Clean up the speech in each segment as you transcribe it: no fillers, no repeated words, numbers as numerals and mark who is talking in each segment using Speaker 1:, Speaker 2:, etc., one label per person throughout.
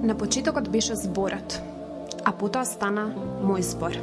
Speaker 1: На почетокот беше зборот, а потоа стана мој збор.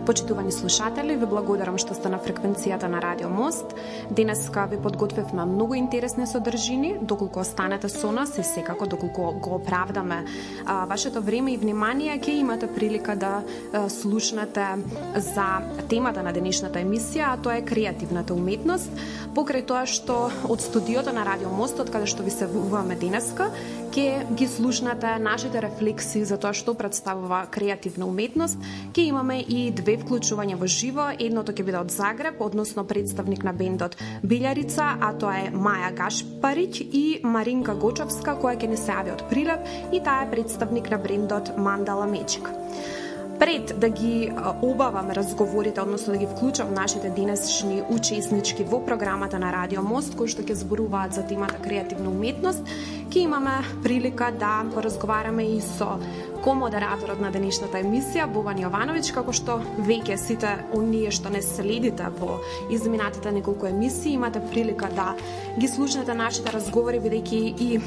Speaker 1: Почитувани слушатели, ви благодарам што сте на фреквенцијата на Радио Мост. Денеска ви подготвивме многу интересни содржини, доколку останете со нас и секако доколку го оправдаме вашето време и внимание, ќе имате прилика да слушнете за темата на денешната емисија, а тоа е креативната уметност. Покрај тоа што од студиото на Радио Мост, од каде што ви се вуваме денеска, ќе ги слушнете нашите рефлексии за тоа што представува креативна уметност. Ќе имаме и две вклучување во живо. Едното ќе биде од Загреб, односно представник на бендот Билјарица, а тоа е Маја Гашпарич и Маринка Гочовска, која ќе ни се јави од Прилеп, и таа е представник на бендот Мандала Мечик. Пред да ги обавам разговорите, односно да ги вклучам нашите денешни учеснички во програмата на Радио Мост, кои што ќе зборуваат за темата креативна уметност, ќе имаме прилика да поразговараме и со комодераторот на денешната емисија, Бован Јовановиќ, како што веќе сите оние што не следите во изминатите неколку емисии, имате прилика да ги слушнете нашите разговори, бидејќи и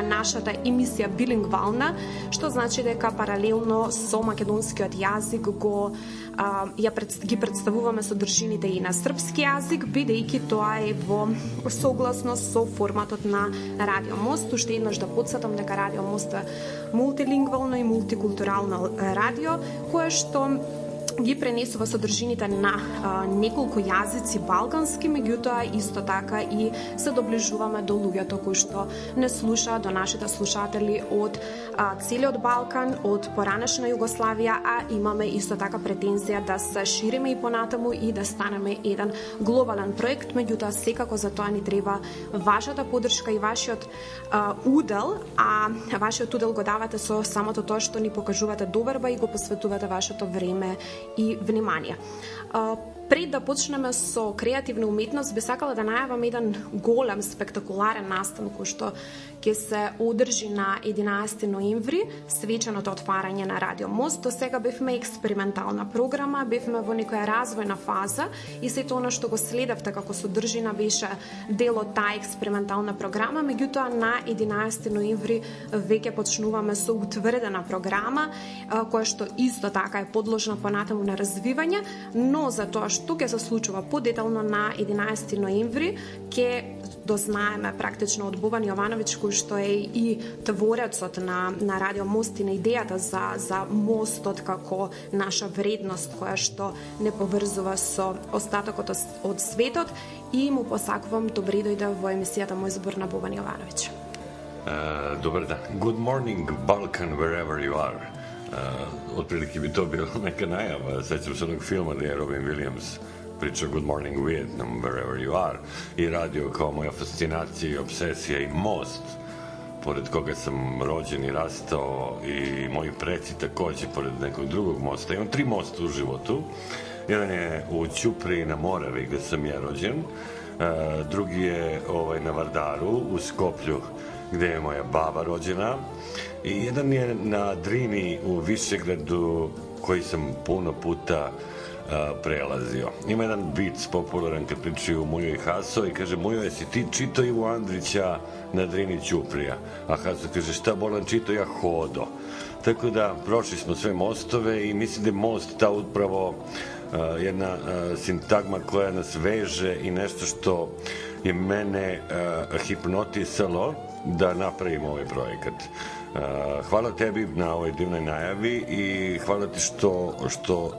Speaker 1: нашата емисија билингвална, што значи дека паралелно со македонскиот јазик ги представуваме содржините и на српски јазик, бидејќи тоа е во согласно со форматот на Радио Мост. Уште еднаш да потсетам дека Радио Мост е мултилингвално и мултикултурално радио, кое што ги пренесува содржините на неколку јазици балкански, меѓутоа исто така и се доближуваме до луѓето кои што не слушаат, до нашите слушатели од целиот Балкан, од поранешна Југославија, а имаме исто така претензија да се шириме и понатаму и да станеме еден глобален проект, меѓутоа секако за тоа ни треба вашата поддршка и вашиот удел, а вашиот удел го давате со самото тоа што ни покажувате доверба и го посветувате вашето време и внимание. Пред да почнеме со креативна уметност, би сакала да најавам еден голем, спектакуларен настан кој што ќе се одржи на 11 ноември, свеченото отварање на Радио Мост. До сега бевме експериментална програма, бевме во некоја развојна фаза и сето она што го следевте како содржина беше дел од таа експериментална програма, меѓутоа на 11 ноември веќе почнуваме со утврдена програма, која што исто така е подложна понатаму на развивање, но за тоа што ќе се случува подетално на 11 ноември, ќе дознаеме практично од Бован Јовановиќ, кој што е и творецот на Радио Мост и на идејата за мостот како наша вредност која што не поврзува со остатокот од светот, и му посакувам добре дојде во емисијата Мој збор на Бован Јовановиќ.
Speaker 2: Добар ден. Good morning, Balkan, wherever you are. Отприлike би тоа била нека најава. Сеќам се одnog филма где Робин Вилијамс priča Good Morning Vietnam, wherever you are, i radio kao moja fascinacija i obsesija i most, pored koga sam rođen i rastao, i moji preci takođe pored nekog drugog mosta. Imam 3 mosta u životu. Jedan je u Ćupriji na Moravi, gde sam ja rođen. Drugi je na Vardaru, u Skoplju, gde je moja baba rođena. I jedan je na Drini u Višegradu, koji sam puno puta prelazio. Ima jedan vic popularan kad pričaju Mujo i Haso i kaže: Mujo, jesi ti čito Ivo Andrića na Drini Ćuprija? A Haso kaže: šta bolan čito, ja hodo. Tako da prošli smo sve mostove i mislim da je most ta upravo jedna sintagma koja nas veže i nešto što je mene hipnotisalo da napravimo ovaj projekat. Hvala tebi na ovoj divnoj najavi i hvala ti što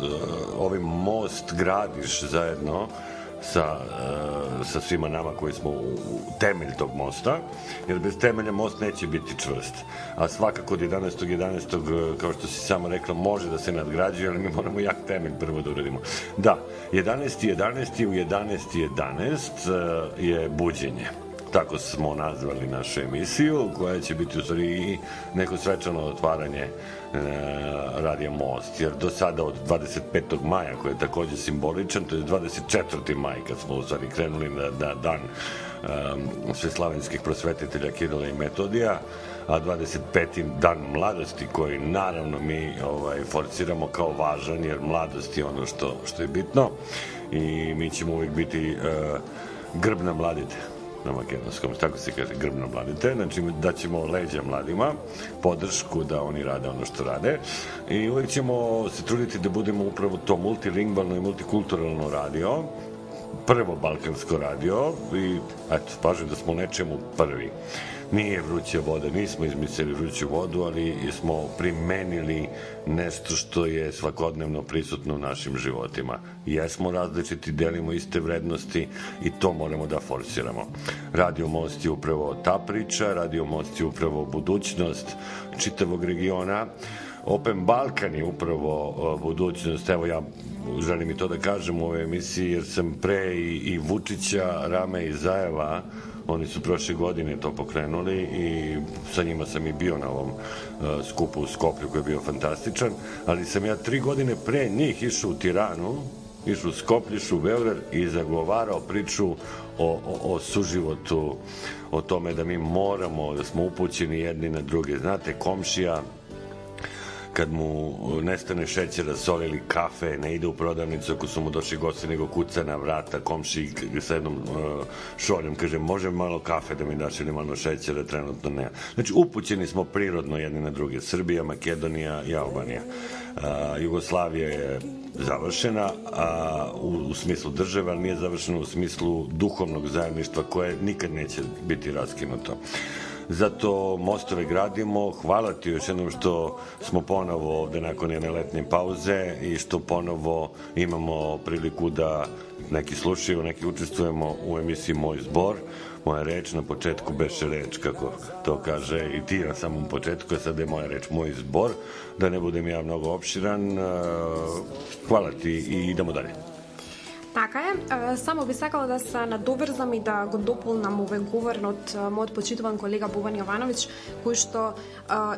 Speaker 2: ovaj most gradiš zajedno sa svima nama koji smo u temelj tog mosta, jer bez temelja most neće biti čvrst. A svakako od 11.11. kao što si sama rekla, može da se nadgrađuje, ali mi moramo jak temelj prvo da uradimo. Da, 11.11. u 11.11 je buđenje. Tako smo nazvali našu emisiju, koja će biti u stvari i neko svečano otvaranje Radija Most, jer do sada od 25. maja, koji je takođe simboličan, to je 24. maj kad smo u stvari krenuli na dan sveslavenskih prosvetitelja Kirila i Metodija, a 25. dan mladosti, koji naravno mi forciramo kao važan, jer mladost je ono što je bitno i mi ćemo uvijek biti grb na mladite. na makedonskom, tako se kaže, grb na mladite, znači da ćemo leđa mladima, podršku da oni rade ono što rade i uvijek ćemo se truditi da budemo upravo to multilingvalno i multikulturalno radio, prvo balkansko radio i eto, pažem da smo u nečemu prvi. Nije vruća voda, nismo izmislili vruću vodu, ali smo primenili nešto što je svakodnevno prisutno u našim životima. Jesmo različiti, delimo iste vrednosti i to moramo da forsiramo. Radio Most je upravo ta priča, Radio Most je upravo budućnost čitavog regiona. Open Balkan je upravo budućnost, evo ja želim i to da kažem u ovoj emisiji, jer sam pre i Vučića, Rame i Zajeva, oni su prošle godine to pokrenuli i sa njima sam i bio na ovom skupu u Skoplju koji je bio fantastičan, ali sam ja 3 godine pre njih išao u Tiranu, išao u Skoplju, išao u Beograd i zagovarao priču o suživotu, o tome da mi moramo, da smo upućeni jedni na druge. Znate, komšija kad mu nestane šećera, soli ili kafe, ne ide u prodavnicu ako su mu došli gosti, nego kuca na vrata komši sa jednom šoljom, kaže, može malo kafe da mi daš ili malo šećera, trenutno ne. Znači, upućeni smo prirodno jedni na druge. Srbija, Makedonija i Albanija. Jugoslavija je završena u smislu države, ali nije završena u smislu duhovnog zajedništva koje nikad neće biti raskinuto. Zato mostove gradimo. Hvala ti još jednom što smo ponovo ovde nakon jedne letnje pauze i što ponovo imamo priliku da neki slušaju, neki učestvujemo u emisiji Moj zbor. Moja reč na početku beše reč, kako to kaže i ti na samom početku, a sada je moja reč Moj zbor, da ne budem ja mnogo opširan. Hvala ti i idemo dalje.
Speaker 1: Така е, само би сакала да се надоврзам и да го дополнам овој говор од мојот почитуван колега Бован Јовановиќ, кој што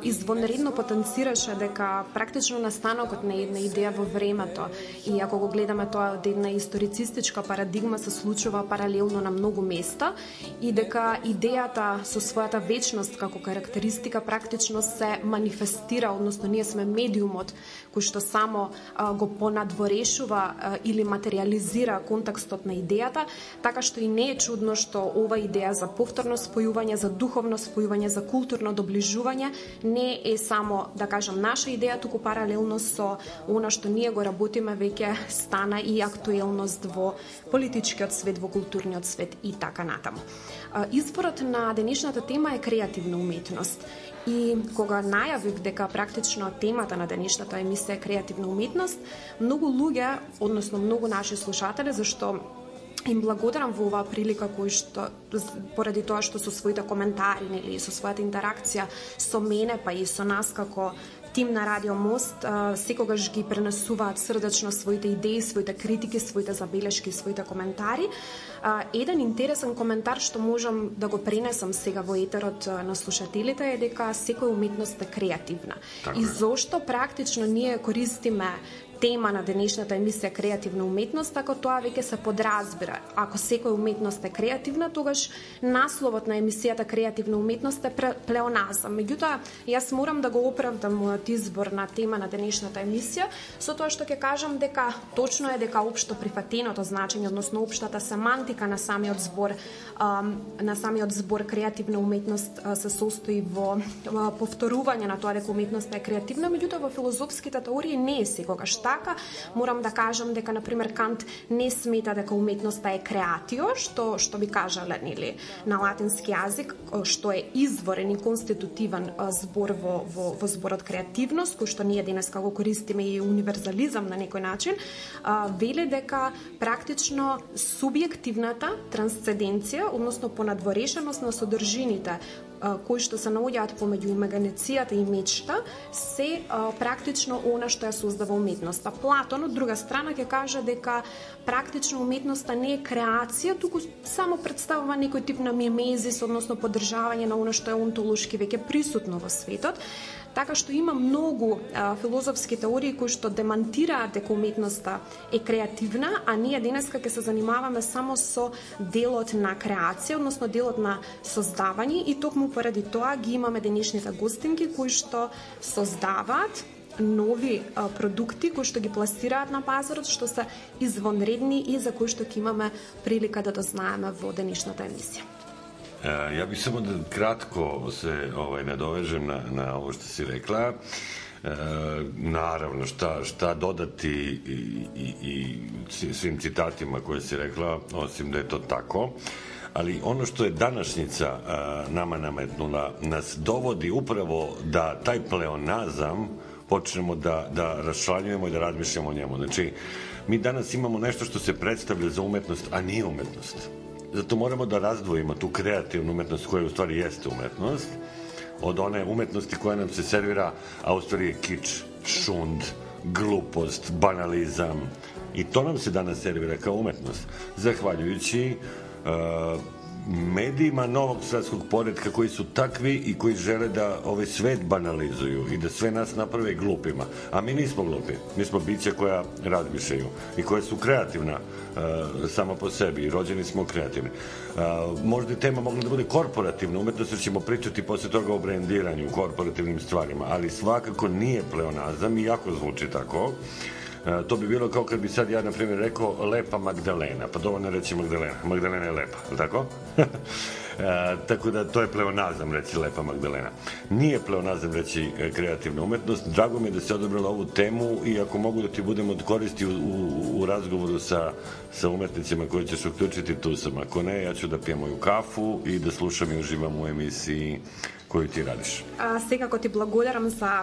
Speaker 1: извонредно потенцираше дека практично настанокот на една идеја во времето и ако го гледаме тоа од една историцистичка парадигма се случува паралелно на многу места и дека идејата со својата вечност како карактеристика практично се манифестира, односно ние сме медиумот кој што само го понадворешува или материализира контекстот на идејата, така што и не е чудно што ова идеја за повторно спојување, за духовно спојување, за културно доближување не е само, да кажам, наша идеја, туку паралелно со она што ние го работиме веќе стана и актуелност во политичкиот свет, во културниот свет и така натаму. Изборот на денешната тема е креативна уметност. И кога најавив дека практично темата на денешната емисија е креативна уметност, многу луѓе, односно многу наши слушатели, зашто им благодарам во оваа прилика кој што поради тоа што со своите коментари или со својата интеракција со мене па и со нас како тим на Радио Мост секогаш ги пренесуваат срдечно своите идеи, своите критики, своите забелешки, своите коментари. Еден интересен коментар што можам да го пренесам сега во етерот на слушателите е дека секоја уметност е креативна. И зошто практично ние користиме тема на денешната емисија креативна уметност, ако тоа веќе се подразбира. Ако секоја уметност е креативна, тогаш насловот на емисијата креативна уметност е плеоназам. Меѓутоа, јас морам да го оправдам мојот избор на тема на денешната емисија со тоа што ќе кажам дека точно е дека општо прифатеното значење, односно општата семантика на самиот збор креативна уметност се состои во повторување на тоа дека уметноста е креативна, меѓутоа во филозофските теории не е секогаш така. Морам да кажам дека на пример Кант не смета дека уметноста е креатио, што би кажале нели на латински јазик, што е изворен и конститутивен збор во зборот креативност, кој што ние денеска го користиме и универзализам на некој начин, вели дека практично субјективната трансценденција, односно понадворешеност на содржините кои што се наоѓаат помеѓу имагинацијата и мечта, се практично она што ја создава уметноста. Платон, од друга страна, ќе каже дека практично уметноста не е креација, туку само представува некој тип на мимезис, односно поддржавање на она што е онтолошки веќе присутно во светот. Така што има многу филозофски теории кои што демантираат дека уметноста е креативна, а ние денеска ќе се занимаваме само со делот на креација, односно делот на создавање и токму поради тоа ги имаме денешните гостинки кои што создаваат нови продукти кои што ги пласираат на пазарот, што се извонредни и за кои што ќе имаме прилика да дознаеме во денешната емисија.
Speaker 2: Ja bih samo da kratko se nadovežem na ovo što si rekla. Naravno, šta dodati i svim citatima koje si rekla, osim da je to tako. Ali ono što je današnjica nama nametnula, nas dovodi upravo da taj pleonazam počnemo da raščlanjujemo i da razmišljamo o njemu. Znači, mi danas imamo nešto što se predstavlja za umetnost, a nije umetnost. Zato moramo da razdvojimo tu kreativnu umetnost koja u stvari jeste umetnost od one umetnosti koja nam se servira, a u stvari je kič, šund, glupost, banalizam. I to nam se danas servira kao umetnost. Zahvaljujući medijima novog svetskog poretka koji su takvi i koji žele da ovaj svet banalizuju i da sve nas naprave glupima. A mi nismo glupi. Mi smo bića koja razmišljaju i koja su kreativna sama po sebi i rođeni smo kreativni. Možda je tema mogla da bude korporativna umetnost, jer ćemo pričati posle toga o brendiranju, korporativnim stvarima, ali svakako nije pleonazam, iako zvuči tako. To bi bilo kao kad bi sad ja, na primjer, rekao lepa Magdalena, pa dovoljno reći Magdalena. Magdalena je lepa, je li tako? Tako da to je pleonazam reći lepa Magdalena. Nije pleonazam reći kreativna umetnost. Drago mi je da si odabrala ovu temu i ako mogu da ti budem od koristi u razgovoru sa umetnicima koji ćeš uključiti, tu sam. Ako ne, ja ću da pijem moju kafu i da slušam i uživam u emisiji koju ти радиш.
Speaker 1: Секако ти благодарам за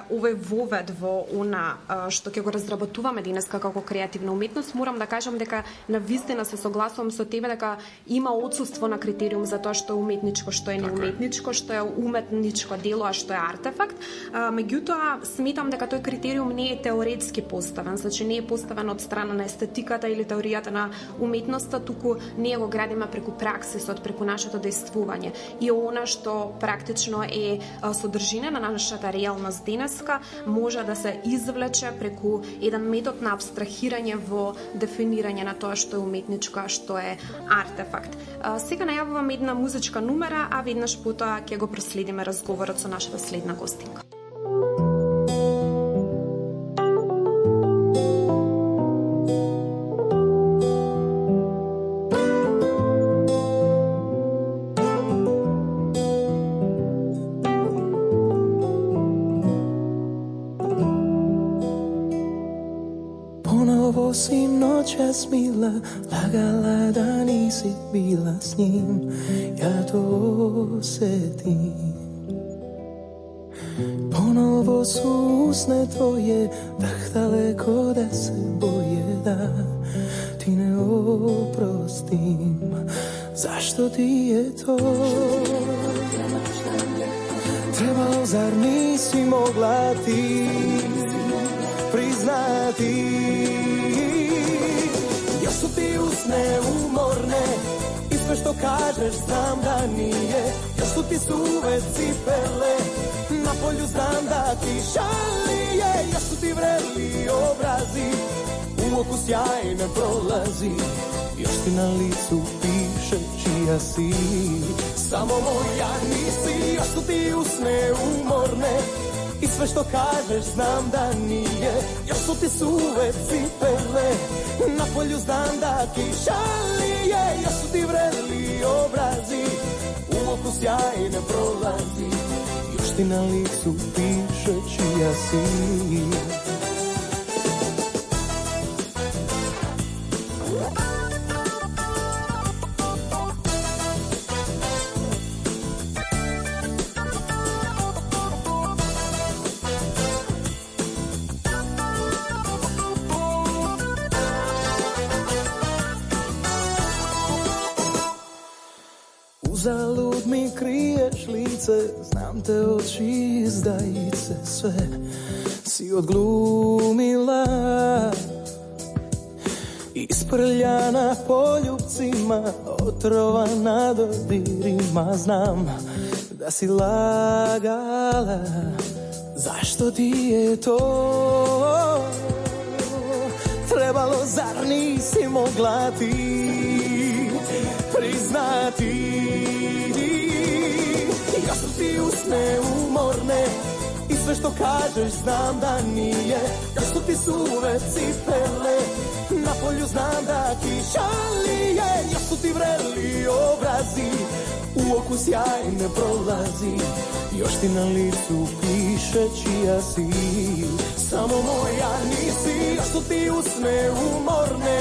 Speaker 1: овој вовед во она што ќе го разработуваме денеска како креативна уметност. Морам да кажам дека навистина се согласувам со тебе дека има отсуство на критериум за тоа што е уметничко, што е неуметничко, што е уметничко дело, а што е артефакт. Меѓутоа, сметам дека тој критериум не е теоретски поставен, значи не е поставен од страна на естетиката или теоријата на уметноста, туку ние го градиме преку праксисот, преку нашето дејствување. И она што практично е содржина на нашата реалност денеска може да се извлече преку еден метод на абстрахирање во дефинирање на тоа што е уметничко, а што е артефакт. Сега најавувам една музичка numera, а веднаш потоа ќе го проследиме разговорот со нашата следна гостинка.
Speaker 3: Si noćas mila, lagala da nisi bila s njim, ja to osetim. Ponovo su usne tvoje, dah daleko da se boje da ti ne oprostim. Zašto ti je to? Trebalo, zar nisi mogla ti priznati? Još su ti usne umorne i sve što kažeš znam da nije. Još su ti suve cipele, na polju znam da ti šalije. Još su ti vreli obrazi, u oku sjaj ne prolazi. Još ti na licu piše čija si, samo moja nisi. Još su ti usne umorne i sve što kažeš znam da nije. Još su ti suve cipele, na polju znam da ti šalije. Još su ti vreli obrazi, u oku sjaj ne prolazi. Još ti na licu piše čija si. Uzalud mi kriješ lice, znam te oči izdajice, sve si odglumila. Isprljana poljupcima, otrovana dodirima, znam da si lagala. Zašto ti je to trebalo, zar nisi mogla ti priznati? Još su ti usne umorne i sve što kažeš znam da nije. Još su ti suve cipele, na polju znam da ti šalije. Još su ti vreli obrazi, u oku sjaj ne prolazi, još ti na licu piše čija si. Samo moja nisi, još su ti usne umorne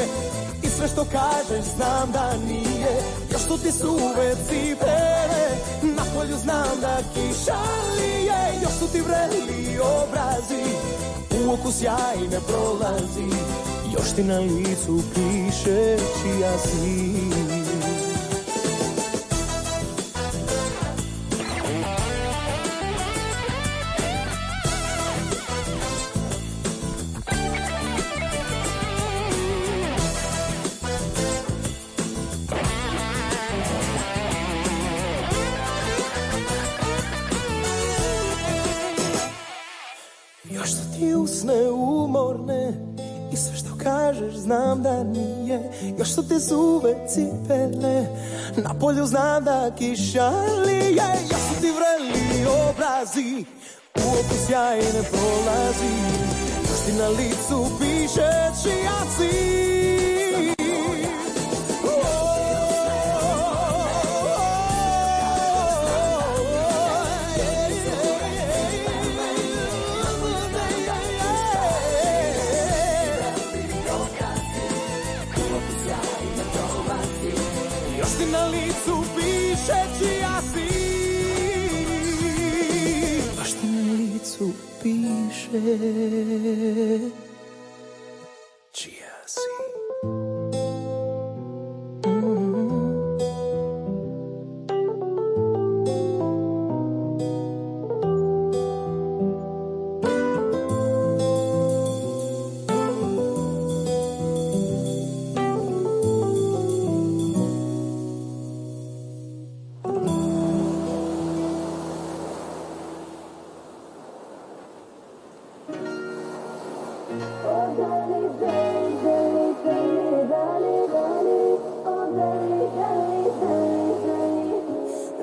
Speaker 3: i sve što kažeš znam da nije. Još su ti suve cipele, na polju znam da kiša lije. Još su ti vreli obrazi, u oku sjaj ne prolazi, još ti na licu piše čija si. Još su ti usne umorne i sve što kažeš znam da nije. Još su ti suve cipele, na polju znam da kiša lije. Još su ti vreli obrazi, u oku sjaj ne prolazi, još ti na licu piše čija si. Na licu piše čija si, baš ti na licu piše čija si.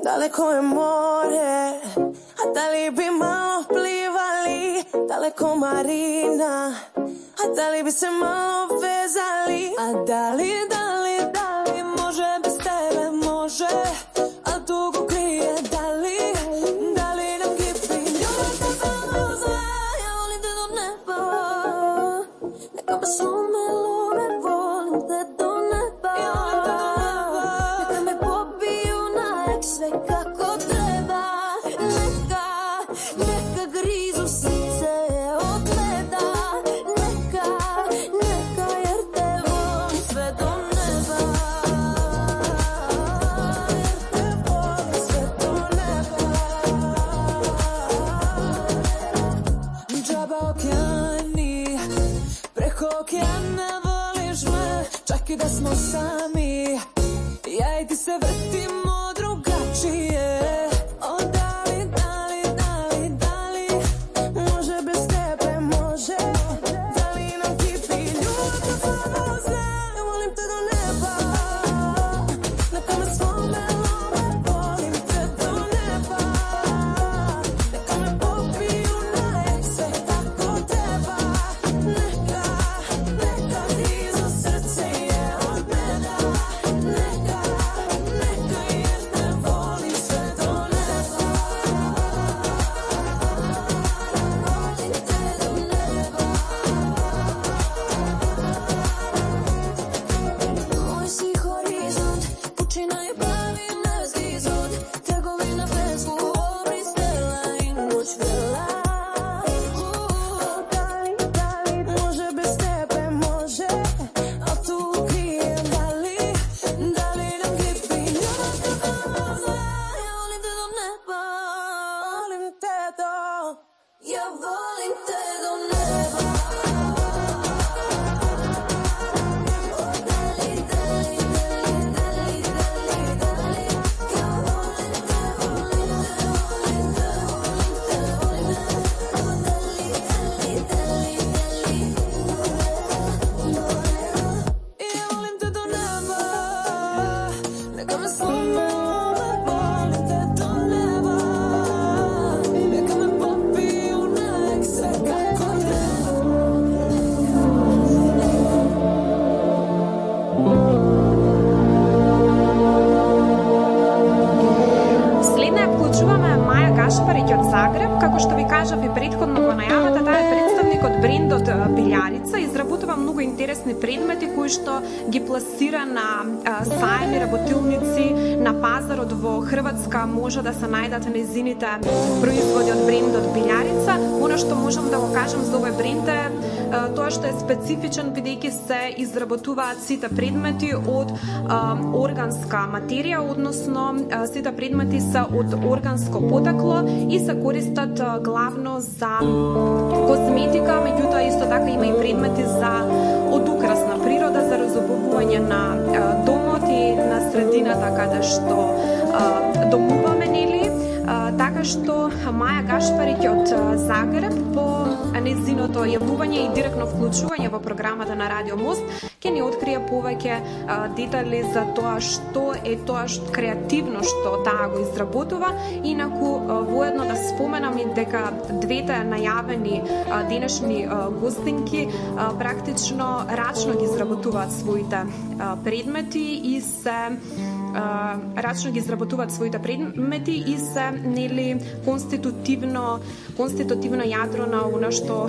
Speaker 4: Daleko je more, a da li bi malo plivali? Daleko marina, a da li bi se malo vezali? A da li može bez tebe može, a dugo krije da li nam kipi ljubav te samo zna, ja volim te do neba, neka me slome lome, volim te do neba, neka me pobiju na sve kako treba, neka grizu srce od meda, neka jer te volim sve do neba, jer te volim sve do neba. Džaba okeani, preko okeana voliš me, čak i da smo sami, ja i ti se vrtimo drugačije. O da li može bez tebe može, da li nam kipi ljubav te samo zna, ja volim te do neba, neka me slome lome, volim te do neba, neka me pobiju na sve kako treba, neka grizu srce je od meda, neka
Speaker 1: Гашпарич од Загреб, како што ви кажав и претходно во најавата, таа е представник од брендот Билјарица, изработува многу интересни предмети кои што ги пласира на сајми, работилници, на пазарот во Хрватска може да се најдат нејзините производи од брендот Билјарица. Оно што можам да го кажам за овој бренд е тоа што е специфичен бидејќи се изработуваат сите предмети од органска материја, односно сите предмети се од органско потекло и се користат главно за козметика, меѓутоа исто така има и предмети за од украсна природа, за разобувување на домот и на средината каде што домуваме, нели? Така што Маја Гашпарич од Загреб по нејзиното јавување и директно вклучување во програмата на Радио Мост ќе ни открие повеќе детали за тоа што е тоа креативно што таа го изработува. Инаку воедно да споменам и дека двете најавени денешни гостинки практично рачно ги изработуваат своите предмети и се рачно ги изработуваат своите предмети и се нели конститутивно јадро на она што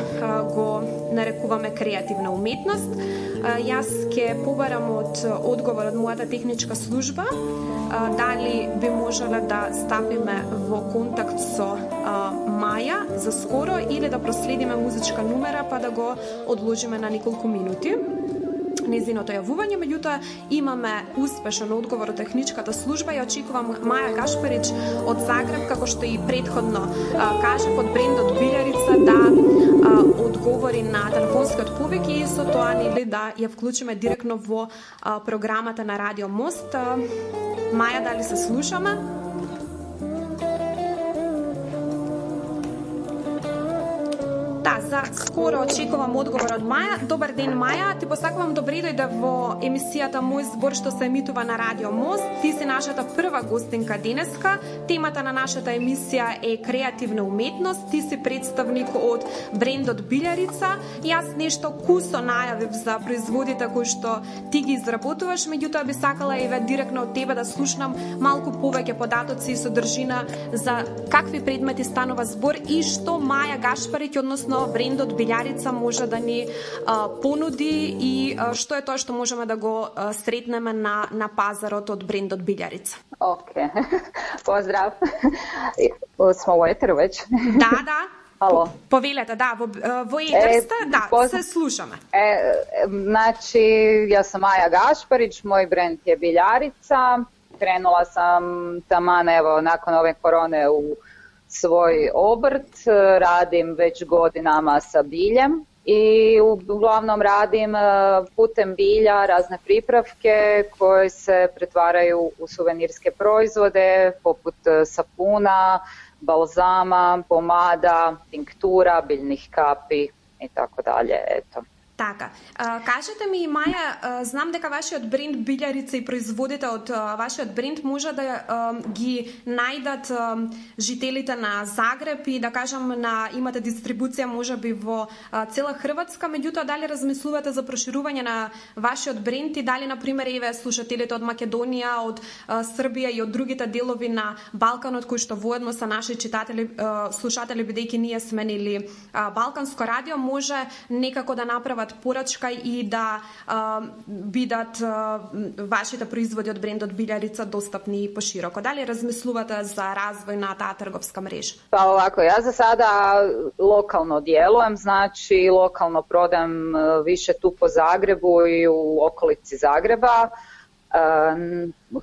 Speaker 1: го нарекуваме креативна уметност. Јас ќе побарам од одговор од мојата техничка служба дали би можеле да стапиме во контакт со Маја за скоро или да проследиме музичка номера па да го одложиме на неколку минути нејзиното јавување, меѓутоа имаме успешен одговор од техничката служба и очекувам Маја Гашпарич од Загреб, како што и претходно кажав, од брендот Билјарица да одговори на телефонскиот повик и со тоа нели да ја вклучиме директно во програмата на Радио Мост. Маја, дали се слушаме? За скоро очекувам одговор од Маја. Добар ден, Маја. Ти посакувам добре дојде во емисијата Мој збор што се емитува на Радио Мост. Ти си нашата прва гостинка денеска. Темата на нашата емисија е креативна уметност. Ти си представник од брендот Билјарица. Јас нешто кусо најавив за производите кои што ти ги изработуваш, меѓутоа би сакала и директно од тебе да слушнам малку повеќе податоци и содржина за какви предмети станува збор и што Маја Гашпарич, односно брендот Билјарица може да ни понуди и што е тоа што можеме да го сретнеме на пазарот од брендот Билјарица.
Speaker 5: Океј. Поздрав. Смо во етеру веќе?
Speaker 1: Да.
Speaker 5: Ало.
Speaker 1: Повелете, да, во етер сте, да, се слушаме.
Speaker 5: Значи, јас сум Маја Гашпарич, мој бренд е Билјарица. Кренула сам таман, ево, након ове короне у svoj obrt, radim već godinama sa biljem i uglavnom radim putem bilja razne pripravke koje se pretvaraju u suvenirske proizvode poput sapuna, balzama, pomada, tinktura, biljnih kapi i tako dalje. Eto.
Speaker 1: Така, кажете ми, Маја, знам дека вашиот бренд Билјарица и производите од вашиот бренд може да ги најдат жителите на Загреб и да кажам имате дистрибуција можеби во цела Хрватска, меѓутоа дали размислувате за проширување на вашиот бренд и дали на пример еве слушателите од Македонија, од Србија и од другите делови на Балканот кои што воедно се наши читатели, слушатели бидејќи ние сме нели Балканско радио, може некако да направат порачка и да бидат вашите производи од брендот Билјарица достапни и пошироко. Дали размислувате за развој на таа трговска мрежа?
Speaker 5: Па овако, ја за сада локално дjelуjem, значи локално продам više tu po Zagrebu i u okolici Zagreba.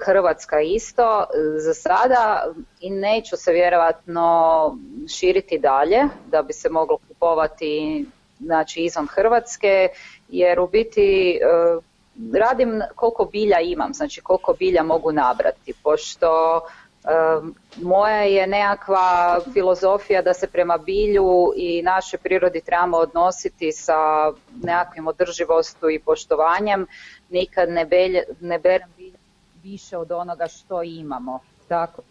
Speaker 5: Hrvatska isto za sada i neću se vjerovatno širiti dalje da bi se moglo kupovati znači izvan Hrvatske, jer u biti radim koliko bilja imam, znači koliko bilja mogu nabrati, pošto moja je nekakva filozofija da se prema bilju i našoj prirodi trebamo odnositi sa nekakvim održivostu i poštovanjem, nikad ne berem bilja više od onoga što imamo. Tako,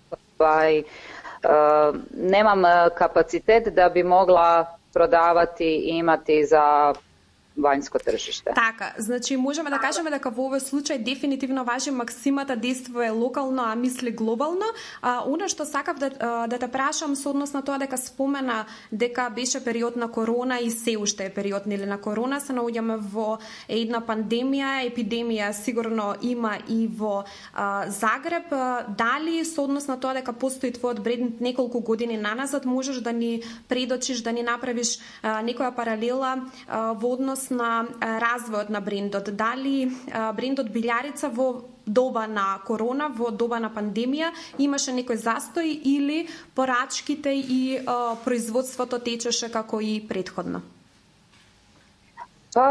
Speaker 5: nemam kapacitet da bi mogla prodavati i imati za vanjsko tržište.
Speaker 1: Така, значи можеме да кажеме дека во овој случај дефинитивно важи максимата действува локално, а мисли глобално. Она што сакав да те прашам со однос на тоа дека спомена дека беше период на корона и се уште е период нели на корона, се наоѓаме во една пандемија, епидемија сигурно има и во Загреб. Дали со однос на тоа дека постои твојот бренд неколку години наназад, можеш да ни предочиш, да ни направиш некоја паралела во однос на развојот на брендот? Дали брендот Билјарица во доба на корона, во доба на пандемија имаше некој застој или порачките и производството течеше како и претходно?
Speaker 5: Pa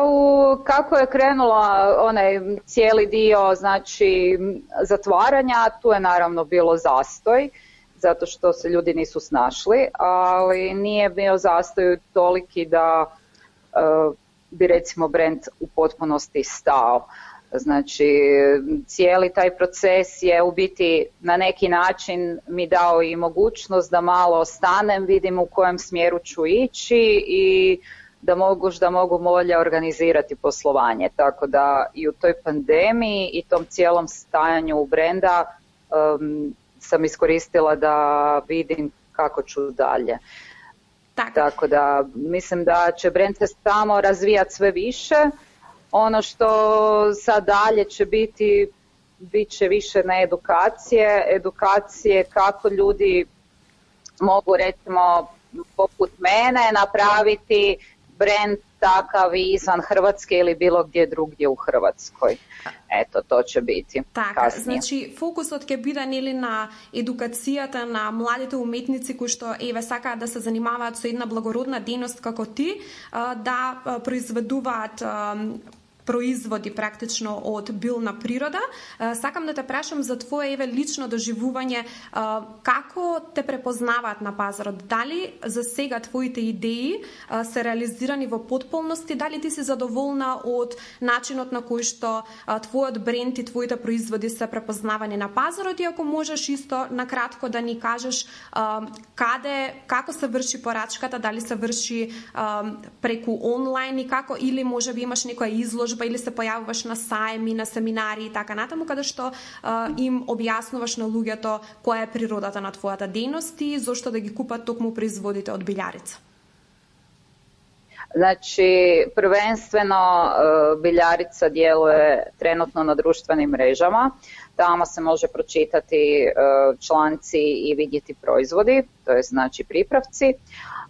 Speaker 5: kako je krenula onaj cijeli dio znači zatvaranja, tu je naravno bilo zastoj, zato što se ljudi nisu snašli, ali nije bio zastoj toliki da bi recimo brend u potpunosti stao. Znači cijeli taj proces je u biti na neki način mi dao i mogućnost da malo stanem, vidim u kojem smjeru ću ići i da mogu bolje organizirati poslovanje. Tako da i u toj pandemiji i tom cijelom stajanju brenda sam iskoristila da vidim kako ću dalje. Tako da mislim da će brend se samo razvijati sve više. Ono što sad dalje će bit će više na edukacije kako ljudi mogu recimo poput mene napraviti brend takav izvan Hrvatske ili bilo gdje drugdje u Hrvatskoj. Eto, to će biti kasnije.
Speaker 1: Значи, фокусот ќе биде нели на едукацијата на младите уметници кои што сакаат да се занимаваат со една благородна дејност како ти, да произведуваат производи практично од билна природа. Сакам да те прашам за твое лично доживување, како те препознаваат на пазарот? Дали за сега твоите идеи се реализирани во потполности? Дали ти си задоволна од начинот на кој што твојот бренд и твоите производи се препознавани на пазарот? И ако можеш исто накратко да ни кажеш како се врши порачката, дали се врши преку онлайн и како, или можеби имаш некоја изложба или се појавуваш на сајми, на семинари и така натаму, каде што им објаснуваш на луѓето која е природата на твојата дејност и зошто да ги купат токму производите од Билјарица?
Speaker 5: Znači, prvenstveno Biljarica djeluje trenutno na društvenim mrežama. Tamo se može pročitati članci i vidjeti proizvodi, to je znači pripravci.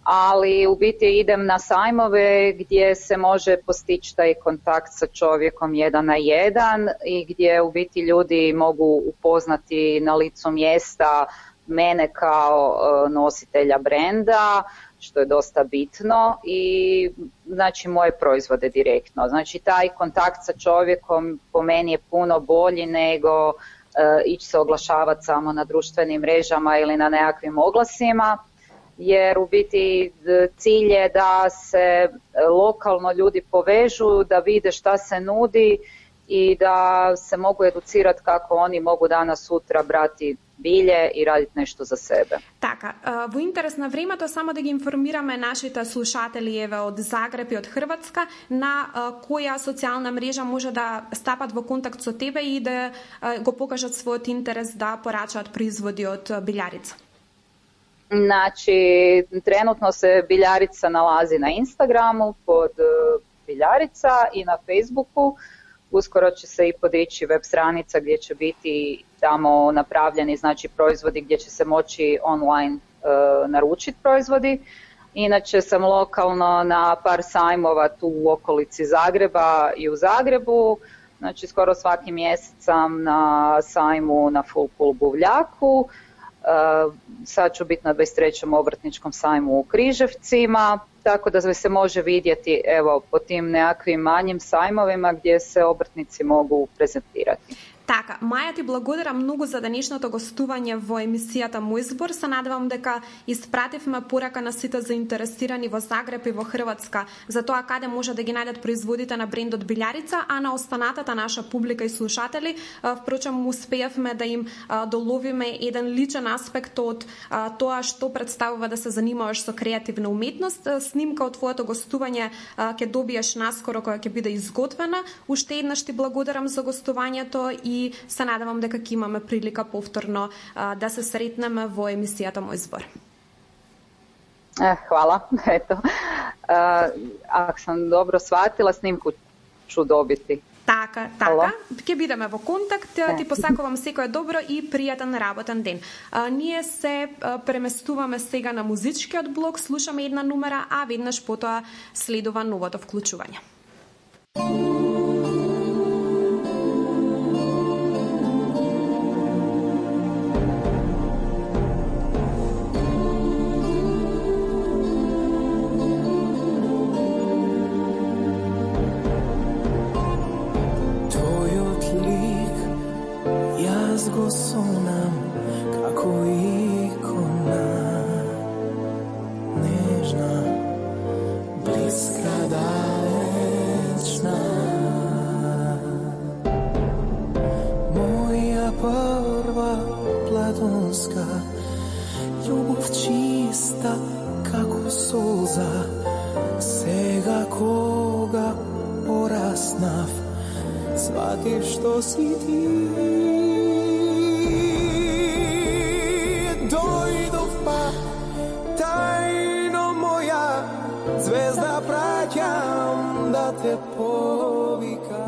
Speaker 5: Ali u biti idem na sajmove gdje se može postići taj kontakt sa čovjekom 1 na 1 i gdje u biti ljudi mogu upoznati na licu mjesta mene kao nositelja brenda, što je dosta bitno, i znači moje proizvode direktno. Znači taj kontakt sa čovjekom po meni je puno bolji nego ići se oglašavati samo na društvenim mrežama ili na nekakvim oglasima. Jer u biti cilj je da se lokalno ljudi povežu, da vide šta se nudi i da se mogu educirati kako oni mogu danas sutra brati bilje и радити нешто за себе.
Speaker 1: Така, во интерес на времето само да ги информираме нашите слушатели од Загреб и од Хрватска на која социјална мрежа може да стапат во контакт со тебе и да го покажат својот интерес да порачаат производи од Билјарица.
Speaker 5: Znači, trenutno se Biljarica nalazi na Instagramu pod Biljarica i na Facebooku. Uskoro će se i podići web stranica gdje će biti tamo napravljeni znači proizvodi gdje će se moći online naručiti proizvodi. Inače sam lokalno na par sajmova tu u okolici Zagreba i u Zagrebu. Znači skoro svaki mjesec sam na sajmu na Full Pool Buvljaku. Sad ću biti na 23. obrtničkom sajmu u Križevcima, tako da se može vidjeti evo po tim nekakvim manjim sajmovima gdje se obrtnici mogu prezentirati.
Speaker 1: Така, Маја, ти благодарам многу за денешното гостување во емисијата Мој збор. Се надевам дека испративме порака на сите заинтересирани во Загреб и во Хрватска за тоа каде може да ги најдат производите на брендот Билјарица, а на останатата наша публика и слушатели, впрочем, успеавме да им доловиме еден личен аспект од тоа што представува да се занимаваш со креативна уметност. Снимка од твоето гостување ќе добиеш наскоро, која ќе биде изготвена. Уште еднаш ти благодарам за гостувањето и се надевам дека ќе имаме прилика повторно да се сретнеме во емисијата Мој збор.
Speaker 5: Hvala, eto. Ako sam dobro shvatila, snimku ću dobiti.
Speaker 1: Така. Ќе бидеме во контакт. Ти посакувам секое добро и пријатен работен ден. Ние се преместуваме сега на музичкиот блок, слушаме една номера, а веднаш потоа следува новото вклучување.
Speaker 3: Go sonam kako ikona, nežna, bliska, dalečna. Moja prva platonska ljubov čista kako solza, сега koga porasnav, shvativ što si ti. Dojdov pa tajno moja zvezda, praćam da te povika.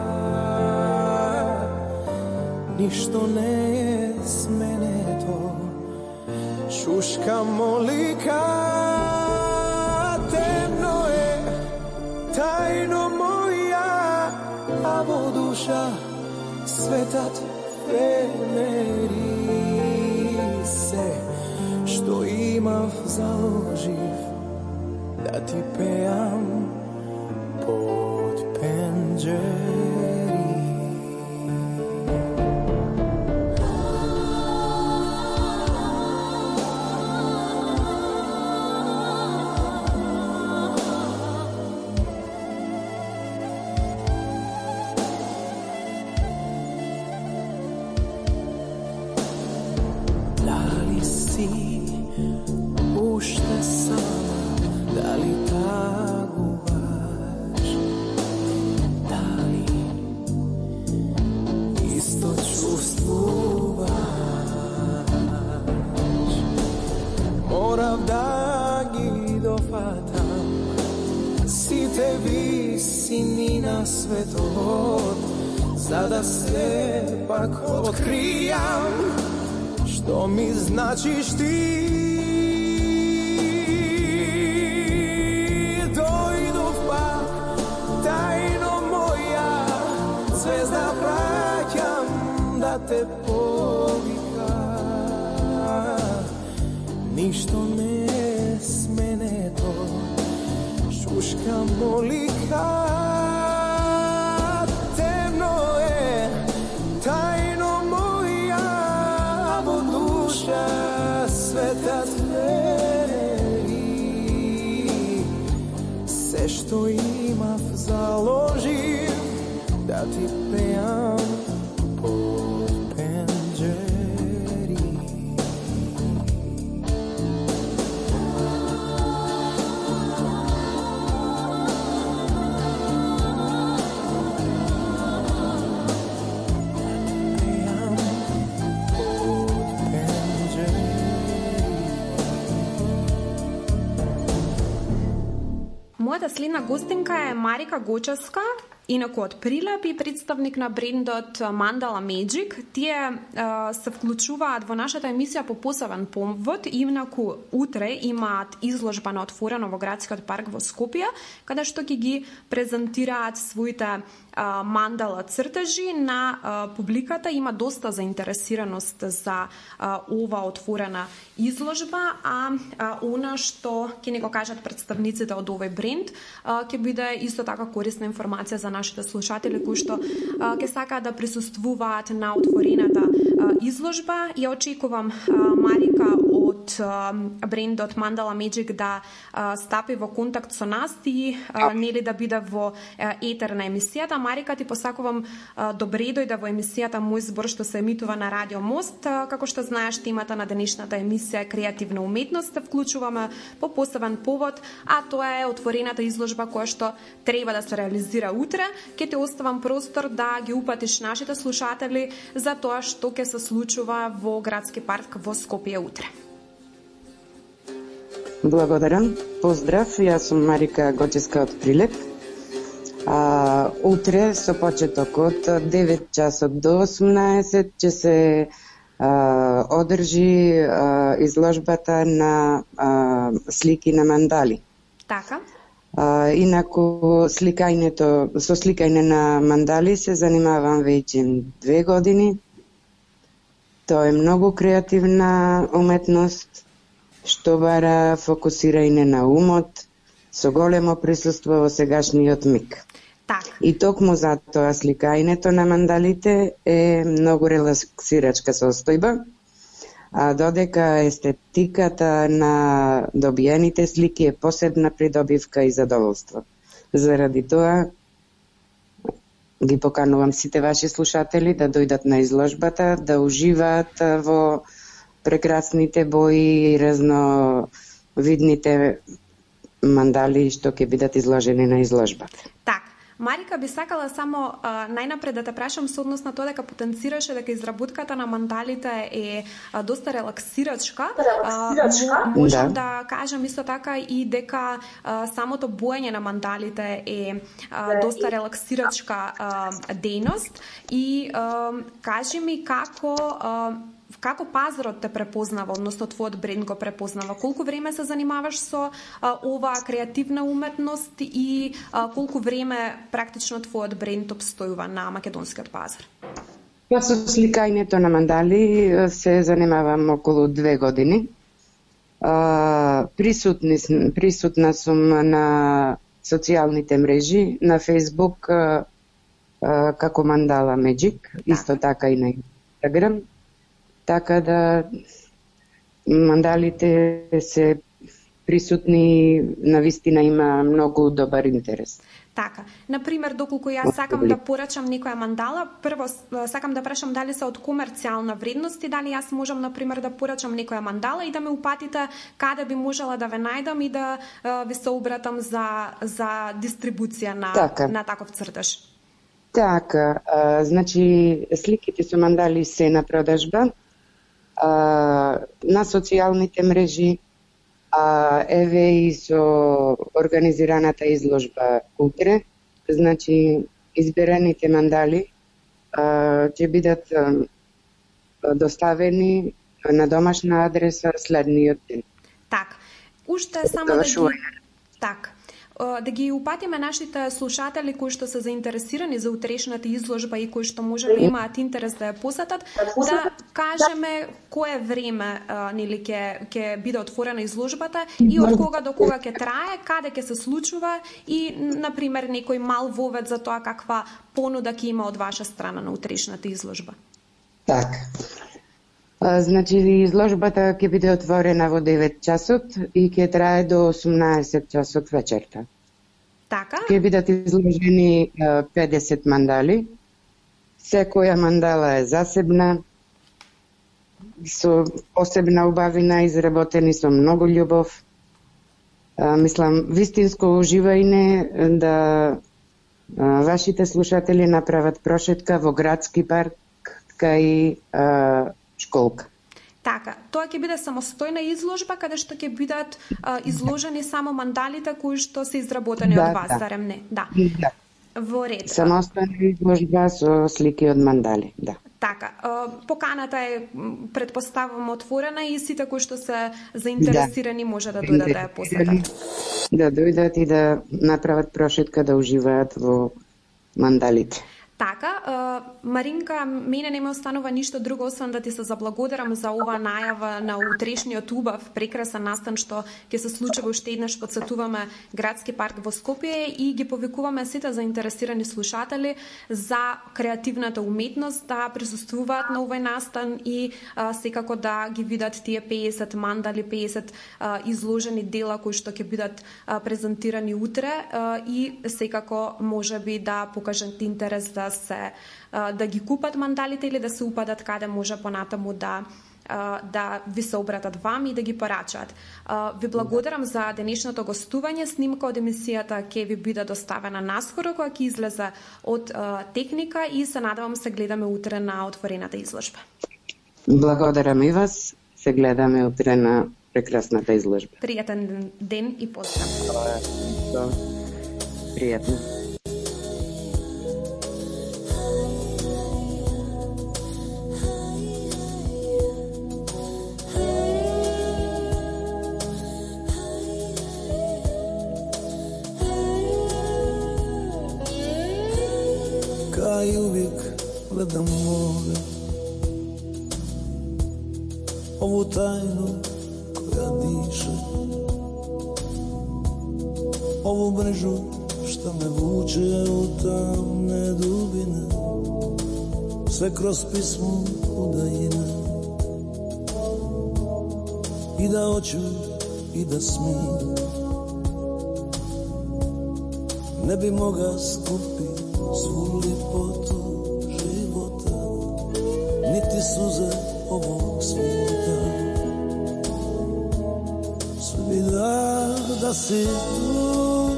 Speaker 3: Ništo ne je s mene to, šuška molika. Temno je tajno moja, a vo duša svetat veneri se. Što imav založiv da ti pejam pod penđeri. Ušte sama, da li taguvaš, da li isto čustvuvaš. Morav da gi dofatam, si te visini na svetovod, sada se pak otkrijam, što mi značiš ti. Zvezda, praćam da te povika. Ništo ne s mene to, šuška molika. Temno je tajno moja, vo duša svetat veri. Se što imav založim da ti pejam pod penđeri.
Speaker 1: Мојата следна гостинка е Марика Гочевска, инаку од Прилеп и представник на брендот Mandala Magic. Тие се вклучуваат во нашата емисија по посебен повод. Инаку утре имаат изложба на отворено во градскиот парк во Скопје, каде што ќе ги презентираат своите мандала цртежи на публиката има доста заинтересираност за ова отворена изложба, а она што ќе ни го кажат представниците од овој бренд ќе биде исто така корисна информација за нашите слушатели кои што ќе сакаат да присуствуваат на отворената изложба. Ја очекувам Марика од брендот Mandala Magic да стапи во контакт со нас и нели да биде во етер на емисијата. Марика, ти посакувам добре дојде во емисијата Мој збор што се емитува на Радио Мост. Како што знаеш, темата на денешната емисија е креативна уметност. Вклучуваме по посебен повод, а тоа е отворената изложба која што треба да се реализира утре. Ќе ти оставам простор да ги упатиш нашите слушатели за тоа што ќе се случува во градски парк во Скопје утре.
Speaker 6: Благодарам. Поздрав, јас сум Марика Гоческа од Прилеп. Утре со почеток од 9 часот до 18 ќе се одржи изложбата на слики на мандали.
Speaker 1: Така.
Speaker 6: Инаку со сликање на мандали се занимавам веќе 2 години. Тоа е многу креативна уметност што бара фокусирање на умот со големо присуство во сегашниот миг.
Speaker 1: Так.
Speaker 6: И токму затоа сликањето на мандалите е многу релаксирачка состојба, а додека естетиката на добиените слики е посебна придобивка и задоволство. Заради тоа ги поканувам сите ваши слушатели да дојдат на изложбата, да уживаат во прекрасните бои и разновидните мандали што ќе бидат изложени на изложбата.
Speaker 1: Так. Марика, би сакала само најнапред да те прашам со однос на тоа дека потенцираше дека изработката на мандалите е доста релаксирачка. Можам да кажам исто така и дека самото боење на мандалите е доста релаксирачка дејност и кажи ми како пазарот те препознава, односно твојот бренд го препознава? Колку време се занимаваш со оваа креативна уметност и колку време практично твојот бренд обстојува на македонскиот пазар?
Speaker 6: Па со сликањето на мандали се занимавам околу 2 години. Присутна сум на социјалните мрежи, на Facebook како Mandala Magic, исто така и на Instagram. Така да мандалите се присутни, навистина има многу добар интерес.
Speaker 1: Така, например, доколку јас сакам да порачам некоја мандала, прво сакам да прашам дали се од комерцијална вредност и дали јас можам, например, да порачам некоја мандала и да ме упатите каде би можела да ве најдам и да ви се обратам за дистрибуција на таков цртеж.
Speaker 6: Така, значи сликите со мандали се на продажба на социјалните мрежи, еве и со организираната изложба утре. Значи, изберените мандали ќе бидат доставени на домашна адреса следниот ден.
Speaker 1: Так, уште само да ги упатиме нашите слушатели кои што се заинтересирани за утрешната изложба и кои што може да имаат интерес да ја посетат, да кажеме кое време нели ќе биде отворена изложбата и од кога до кога ќе трае, каде ќе се случува и например некој мал вовед за тоа каква понуда ќе има од ваша страна на утрешната изложба.
Speaker 6: Така. Значи, изложбата ќе биде отворена во 9 часот и ќе трае до 18 часот вечерта.
Speaker 1: Така?
Speaker 6: Ќе бидат изложени 50 мандали. Секоја мандала е засебна, со посебна убавина, изработени со многу љубов. Мислам, вистинско уживање да вашите слушатели направат прошетка во градски парк кај школка.
Speaker 1: Така, тоа ќе биде самостојна изложба каде што ќе бидат изложени само мандалите кои што се изработени од вас, зарем не? Да. Во ред.
Speaker 6: Самостојна изложба со слики од мандали, да.
Speaker 1: Така, поканата е претпоставувам отворена и сите кои што се заинтересирани може да дојдат да ја посетат.
Speaker 6: Да дојдат и да направат прошетка, да уживаат во мандалите.
Speaker 1: Така, Маринка, мене не ме останува ништо друго освен да ти се заблагодарам за ова најава на утрешниот убав прекрасен настан што ќе се случи уште еднаш подсетуваме градски парк во Скопје и ги повикуваме сите заинтересирани слушатели за креативната уметност да присуствуваат на овој настан и секако да ги видат тие 50 мандали, 50 изложени дела кои што ќе бидат презентирани утре и секако можеби да покажат интерес да ги купат мандалите или да се упадат каде може понатаму да ви се обратат вам и да ги порачаат. Ви благодарам за денешното гостување. Снимка од емисијата ќе ви биде доставена наскоро кога ќе излезе од техника и се надевам се гледаме утре на отворената изложба.
Speaker 6: Благодарам и вас. Се гледаме утре на прекрасната изложба.
Speaker 1: Пријатен ден и поздрав.
Speaker 6: Пријатно.
Speaker 3: Кај увек гледам море, ову тајну која диша, ову мрежу што ме вуче од тамне дубина, се кроз писмо удајина, и да очу и да смија, не би мога скупи сву липоту живота, нити сузе овог света. Sve da si tu,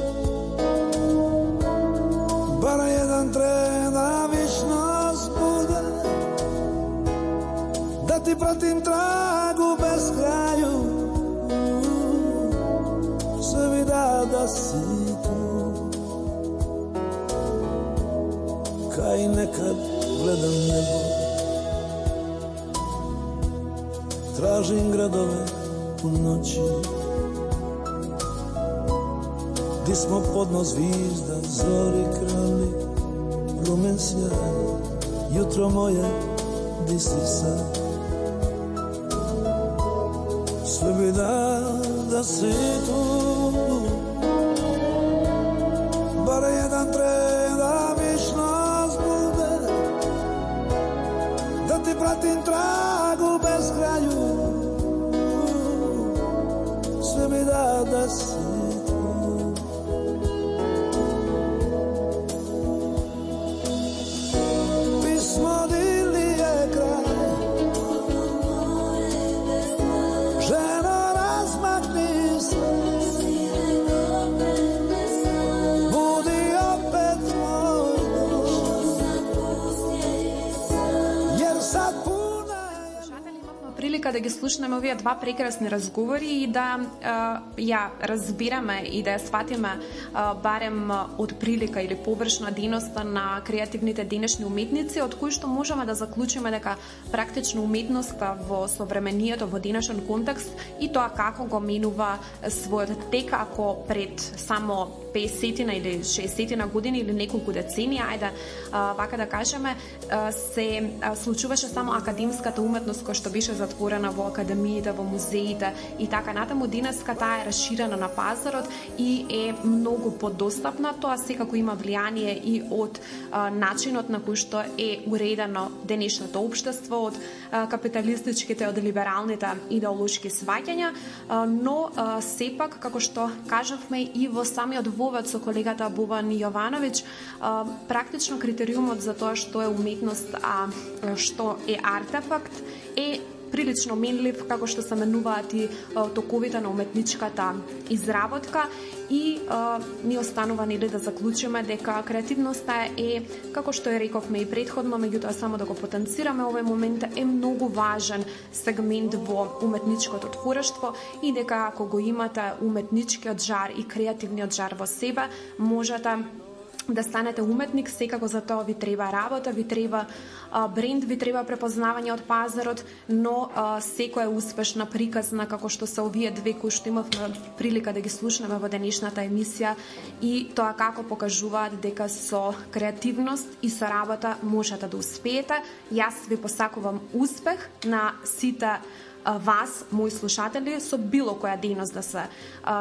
Speaker 3: bar jedan tren da višnost bude, da ti pratim tragu bez kraju. Sve da si tu, kaj nekad gledam nebo, tražim gradove u noći, di smo podno zvizda, zori krali, rumen sjaj, jutro moje, di si sad. Sve bi da si tu, bar jedan tren da višnost bude, da ti pratim tragu bez kraju. Sve bi da si tu. Pismo dili je kraj, ženo razmakni se, budi opet moj dom, jer sad
Speaker 1: прилика да ги слушнеме овие два прекрасни разговори и да ја разбираме и да ја сватиме барем од прилика или површна дејноста на креативните денешни уметници, од кои што можеме да заклучиме дека практично уметноста во современието, во денешен контекст и тоа како го менува својот тек, ако пред само 50 или 60 години или неколку децении, ајде вака да кажеме, се случуваше само академската уметност која што беше затворена во академиите, во музеите и така натаму. Денеска таа е расширена на пазарот и е многу подостапна. Тоа секако има влијание и од начинот на кој што е уредено денешното општество, од капиталистичките, од либералните идеолошки сваќања, но сепак, како што кажавме и во самиот вовед со колегата Бован Јовановиќ, практично критериумот за тоа што е уметност, а што е артефакт, е прилично менлив, како што се менуваат и токовите на уметничката изработка и ни останува нели да заклучиме дека креативноста е, како што ја рековме и предходно, меѓутоа само да го потенцираме овој момент, е многу важен сегмент во уметничкото творештво и дека ако го имате уметничкиот жар и креативниот жар во себе, можете да станете уметник, секако за тоа ви треба работа, ви треба бренд, ви треба препознавање од пазарот, но секоја успешна приказна, како што се овие две кои што имавме прилика да ги слушнеме во денешната емисија, и тоа како покажуваат дека со креативност и со работа можете да успеете. Јас ви посакувам успех на сите вас, мои слушатели, со било која дејност да се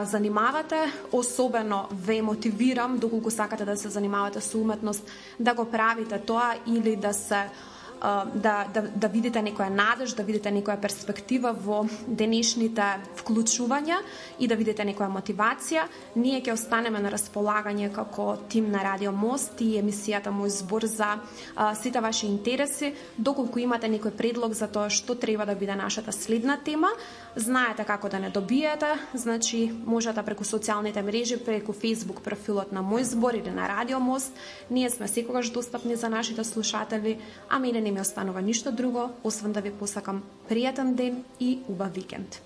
Speaker 1: занимавате. Особено ве мотивирам, доколку сакате да се занимавате со уметност, да го правите тоа или да се да видите некоја надеж, да видите некоја перспектива во денешните вклучувања и да видите некоја мотивација. Ние ќе останеме на располагање како тим на Радио Мост и емисијата Мој збор за сите ваши интереси. Доколку имате некој предлог за тоа што треба да биде нашата следна тема, знаете како да не добиете, значи можете преку социјалните мрежи, преку Facebook профилот на Мој збор или на Радио Мост. Ние сме секогаш достапни за нашите слушатели, а мене не ми останува ништо друго, освен да ви посакам пријатен ден и убав викенд.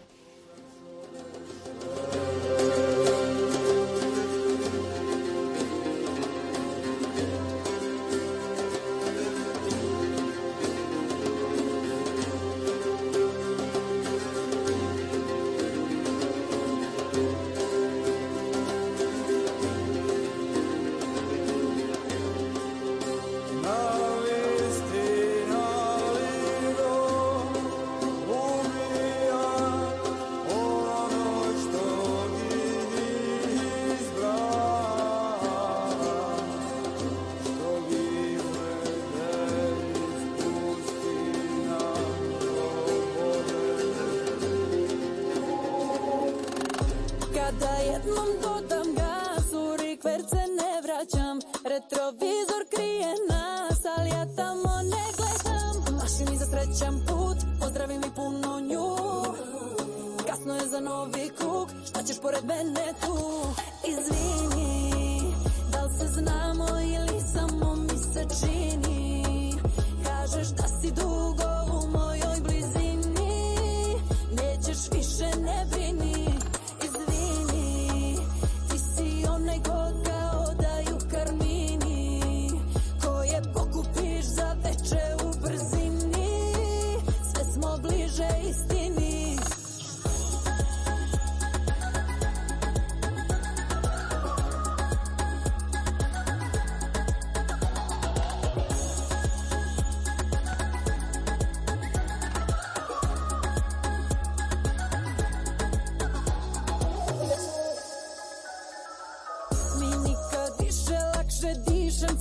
Speaker 4: Kada jednom dodam gas, u rikverc se ne vraćam. Retrovizor krije nas, ali ja tamo ne gledam. Mašim i za srećan put, pozdravim i puno nju. Kasno je za novi krug, šta ćeš pored mene tu? Izvini, da li se znamo ili samo mi se čini? Kažeš da si dugo u mojoj blizini, nećeš više, ne brini.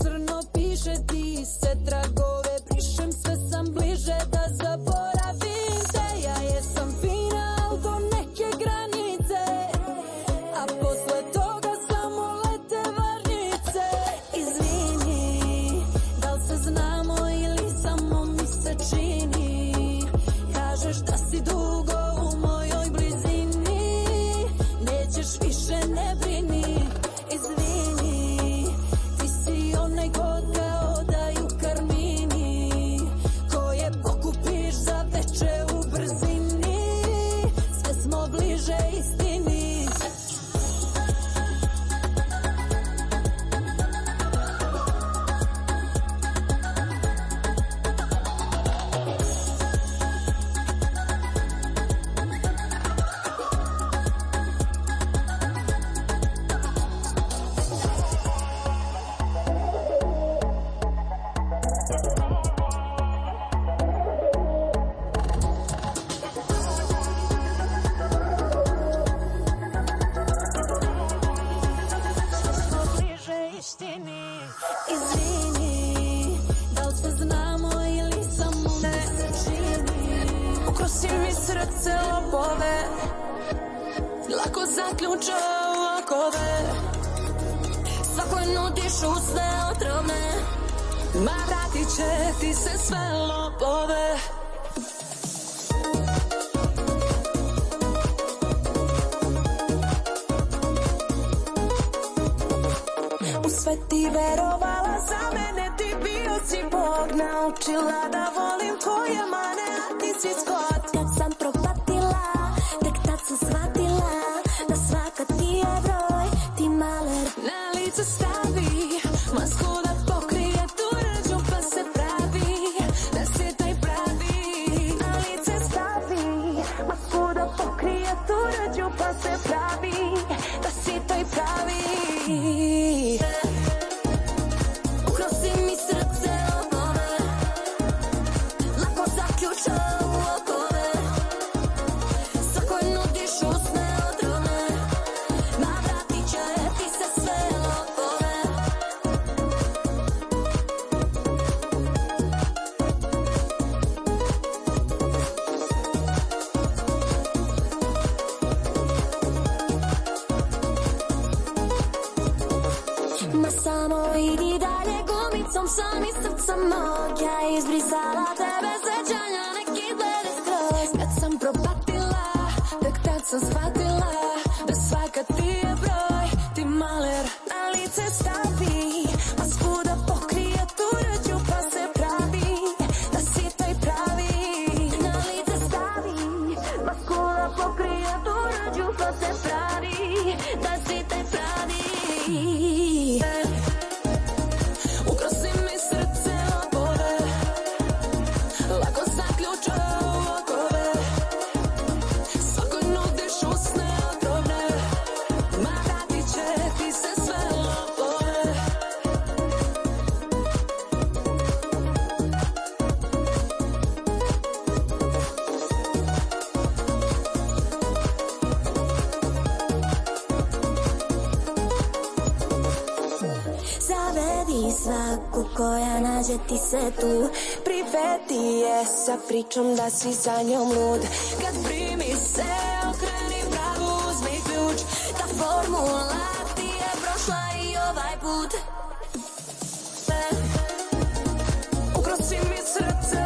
Speaker 4: Crno piše ti se tragove, brišem sve sam bliže da zaboravim te. Ja jesam fina, al do neke granice, a posle toga samo lete varnice. Izvini, da li se znamo ili samo mi se čini? Kažeš da si dugo u mojoj blizini, nećeš više, ne brini. Izvini, onaj god kao daju karmini, koje pokupiš za veče u brzini, sve smo bliže istini. Izvini, da li se znamo ili samo mi se čini? Ukrosi mi srce lopove, lako zaključa okove. Svakoj nudiš usne otrovne, ma vratit će ti se sve lopove. Sve ti verovala, za mene ti bio si Bog. Naučila da volim tvoje mane, a ti si skot. Kad sam propatila, tek tad sam shvatila da svaka ti je broj. Ti maler na lice stavi, krijeturađu pa se pravi da si toj pravi. Ukrosi mi srce okove, lako zaključa u okove, svakoj nudiš usne odrone, navratit će ti se sve lopove. Ma samo idi dalje gumicom sam i srca mog, ja izbrisala tebe sećanja neki glede skroz. Kad sam propatila, tek tad sam shvatila da svaka ti je broj, ti maler na lice stavi, masku da pokrije tuđu pa se pravi da si toj pravi. Na lice stavi, masku da pokrije tuđu pa se pravi da si toj pravi. Ukrosi mi srce okove, lako zaključa u okove, svakoj nudiš usne otrovne, ma vratit će ti se sve lopove. Zavedi svaku koja nađe ti se tu, privedi je sa pričom da si za njom lud. Kad primi se, okreni bravu, uzmi ključ, ta formula ti je prošla i ovaj put. Ukrosi mi srce